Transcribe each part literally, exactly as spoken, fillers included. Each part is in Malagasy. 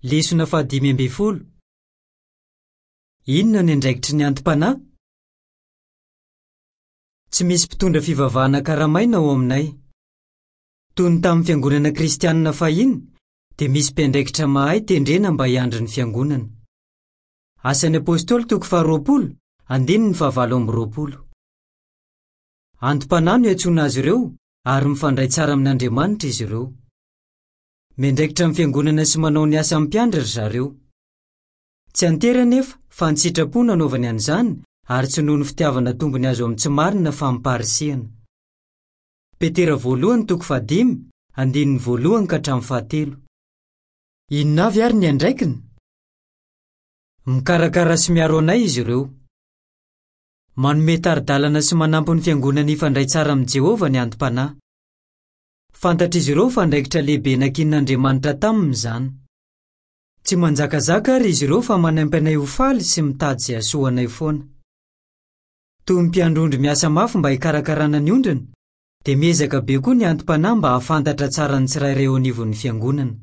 Lesona fahadimy ambin'ny folo. Inona ny andraikitry ny anti-panahy? Tsy misy mpitondra fivavahana karamaina ao aminay. Toy ny tamin'ny fiangonana kristianina fahiny, dia misy mpiandraikitra mahay tendrena mba hiandry ny fiangonana. Asan'ny Apôstôly toko faharoapolo, andininy fahavalo amby roapolo. Anti-panahy no iantsoana azy ireo ary mifandray tsara amin'Andriamanitra izy ireo. Miandraikitra ny fiangonana sy manao ny asa mpiandry ry zareo. Tsy an-tery anefa fa an-tsitrapo no anaovany an'izany ary tsy noho ny fitiavana tombony azo amin'ny tsy marina fa amim-paharisihana. Petera voalohany toko fahadimy, andininy voalohany ka hatramin'ny fahatelo. Inona avy ary ny andraikiny? Mikarakara sy miaro anay izy ireo. Manome tari-dalana sy manampy ny fiangonana hifandray tsara amin'i Jehovah ny anti-panahy. Fantatr'izy ireo fa andraikitra lehibe nankinin'Andriamanitra taminy izany. Tsy manjakazaka ary izy ireo fa manampy anay ho faly sy mitady izay hahasoa anay foana. Toy ny mpiandry ondry miasa mafy mba hikarakarana ny ondriny, dia miezaka be koa ny anti-panahy mba hahafantatra tsara ny tsirairay eo anivon'ny fiangonana.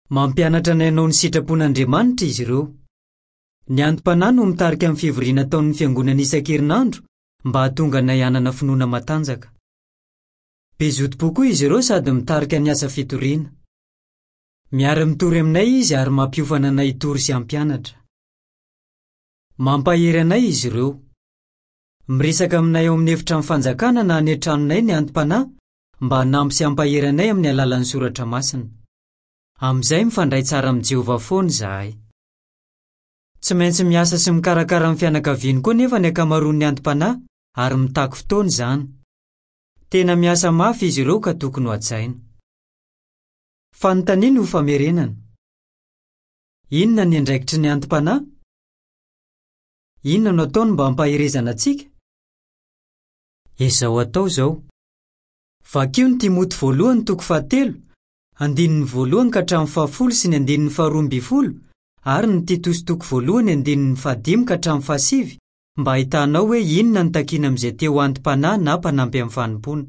Mampianatra anay hanao ny sitrapon'Andriamanitra izy ireo. Ny anti-panahy no mitarika amin'ny fivoriana ataon'ny fiangonana isan-kerinandro mba hahatonga anay hanana finoana matanjaka. Be zotom-po koa izy ireo sady mitarika ny asa fitoriana. Miara-mitory aminay izy ary mampiofana anay hitory sy hampianatra. Mampahery anay izy ireo. Miresaka aminay ao amin'ny efitrano fanjakana na any an-tranonay ny anti-panahy mba hanampy sy hampahery anay amin'ny alalan'ny soratra masina. Amin'izay mifandray tsara amin'i Jehovah foana izahay. Tsy maintsy miasa sy mikarakara ny fianakaviany koa nefa ny ankamaroan'ny anti-panahy ary mitaky fotoana izany. Tena miasa mafy izy ireo ka tokony ho hajaina. Fanontaniana ho famerenana. Inona ny andraikitry ny anti-panahy? Inona no ataony mba hampaherezana antsika? Ezao atao izao. Vakio ny Timoty voalohany toko fahatelo, andininy voalohany ka hatramin'ny fahafolo sy ny andininy faharoa ambin'ny folo ary ny Titosy toko voalohany andininy fahadimy ka hatramin'ny fahasivy mba hahitanao hoe inona no takiana amin'izay te ho anti-panahy na mpanampy amin'ny fanompoana.